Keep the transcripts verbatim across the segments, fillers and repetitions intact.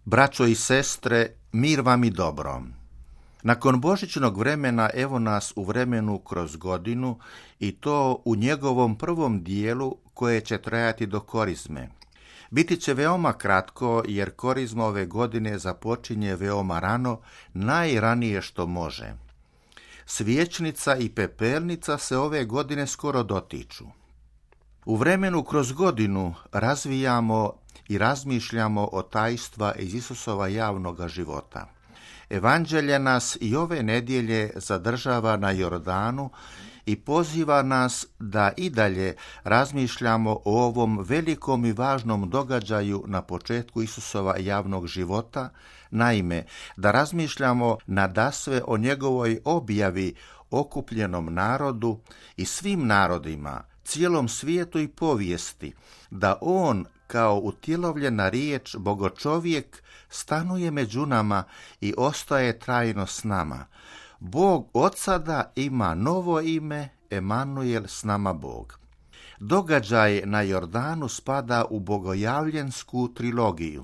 Braćo i sestre, mir vam i dobro. Nakon božićnog vremena evo nas u vremenu kroz godinu i to u njegovom prvom dijelu koje će trajati do korizme. Biti će veoma kratko jer korizma ove godine započinje veoma rano, najranije što može. Svječnica i pepelnica se ove godine skoro dotiču. U vremenu kroz godinu razvijamo i razmišljamo o tajstva iz Isusova javnoga života. Evanđelje nas i ove nedjelje zadržava na Jordanu i poziva nas da i dalje razmišljamo o ovom velikom i važnom događaju na početku Isusova javnog života, naime, da razmišljamo nadasve o njegovoj objavi okupljenom narodu i svim narodima, cijelom svijetu i povijesti, da on kao utjelovljena riječ, bogočovjek, stanuje među nama i ostaje trajno s nama. Bog od sada ima novo ime, Emanuel, s nama Bog. Događaj na Jordanu spada u bogojavljensku trilogiju.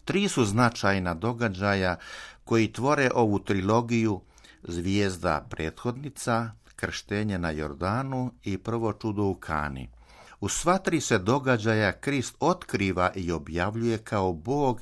Tri su značajna događaja koji tvore ovu trilogiju: zvijezda prethodnica, krštenje na Jordanu i prvo čudo u Kani. U sva tri se događaja Krist otkriva i objavljuje kao Bog,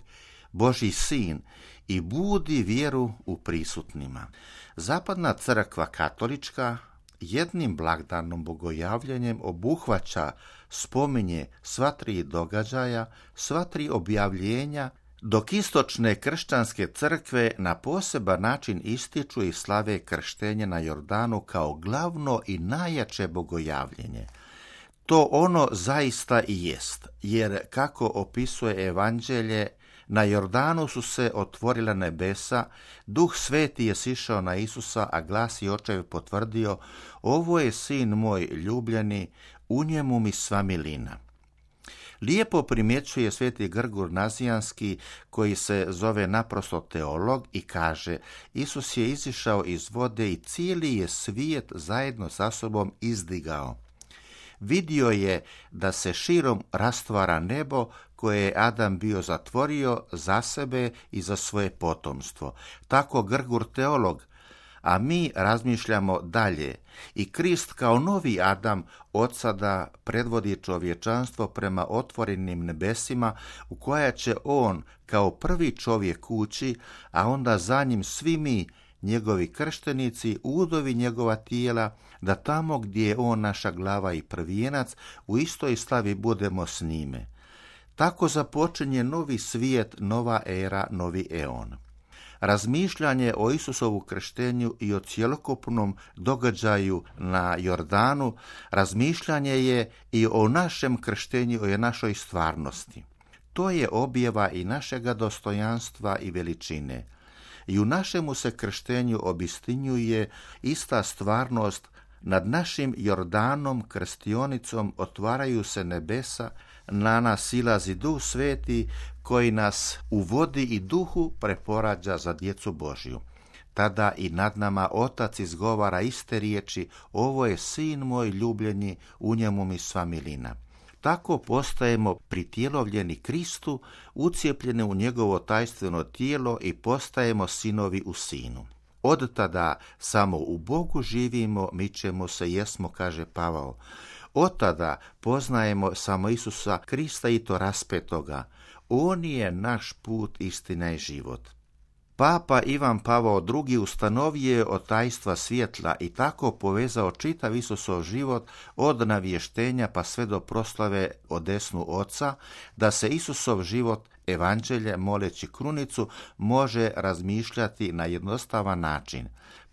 Božji sin, i budi vjeru u prisutnima. Zapadna crkva katolička jednim blagdanom bogojavljanjem obuhvaća, spominje sva tri događaja, sva tri objavljenja, dok istočne kršćanske crkve na poseban način ističu i slave krštenje na Jordanu kao glavno i najjače bogojavljenje. To ono zaista i jest, jer kako opisuje Evanđelje, na Jordanu su se otvorila nebesa, Duh Sveti je sišao na Isusa, a glas i očev potvrdio: ovo je sin moj ljubljeni, u njemu mi sva milina. Lijepo primjećuje sveti Grgur Nazijanski, koji se zove naprosto teolog, i kaže: Isus je izišao iz vode i cijeli je svijet zajedno sa sobom izdigao. Vidio je da se širom rastvara nebo koje je Adam bio zatvorio za sebe i za svoje potomstvo. Tako Grgur teolog, a mi razmišljamo dalje. I Krist kao novi Adam od sada predvodi čovječanstvo prema otvorenim nebesima, u koja će on kao prvi čovjek ući, a onda za njim svi mi, njegovi krštenici, udovi njegova tijela, da tamo gdje je on naša glava i prvijenac, u istoj slavi budemo s njime. Tako započinje novi svijet, nova era, novi eon. Razmišljanje o Isusovu krštenju i o cjelokupnom događaju na Jordanu, razmišljanje je i o našem krštenju i o našoj stvarnosti. To je objava i našega dostojanstva i veličine. I u našemu se krštenju obistinjuje ista stvarnost. Nad našim Jordanom, krštionicom, otvaraju se nebesa, na nas silazi Duh Sveti koji nas u vodi i duhu preporađa za djecu Božju. Tada i nad nama Otac izgovara iste riječi: ovo je sin moj ljubljeni, u njemu mi sva milina. Tako postajemo pritjelovljeni Kristu, ucijepljeni u njegovo tajstveno tijelo i postajemo sinovi u sinu. Od tada samo u Bogu živimo, mičemo se, jesmo, kaže Pavao. Od tada poznajemo samo Isusa Krista i to raspetoga. On je naš put, istina i život. Papa Ivan Pavao drugi ustanovio je od tajstva svjetla i tako povezao čitav Isusov život od navještenja pa sve do proslave o desnu Oca, da se Isusov život, Evanđelje, moleći krunicu, može razmišljati na jednostavan način.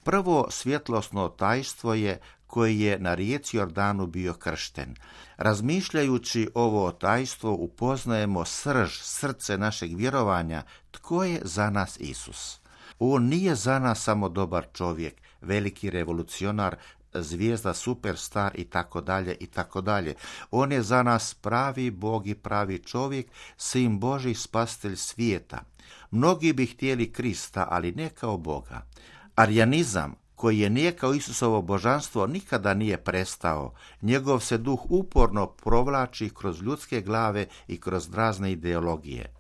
Prvo svjetlosno tajstvo je koji je na rijeci Jordanu bio kršten. Razmišljajući ovo tajstvo upoznajemo srž, srce našeg vjerovanja, tko je za nas Isus. On nije za nas samo dobar čovjek, veliki revolucionar, zvijezda, superstar i tako dalje i tako dalje. On je za nas pravi Bog i pravi čovjek, sin Božji, spasitelj svijeta. Mnogi bi htjeli Krista, ali ne kao Boga. Arijanizam, koji je nijekao Isusovo božanstvo, nikada nije prestao. Njegov se duh uporno provlači kroz ljudske glave i kroz razne ideologije.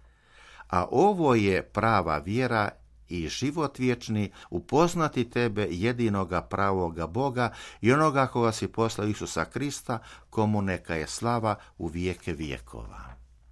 A ovo je prava vjera i život vječni, upoznati tebe, jedinoga pravoga Boga i onoga koga si poslao, Isusa Krista, komu neka je slava u vijeke vijekova.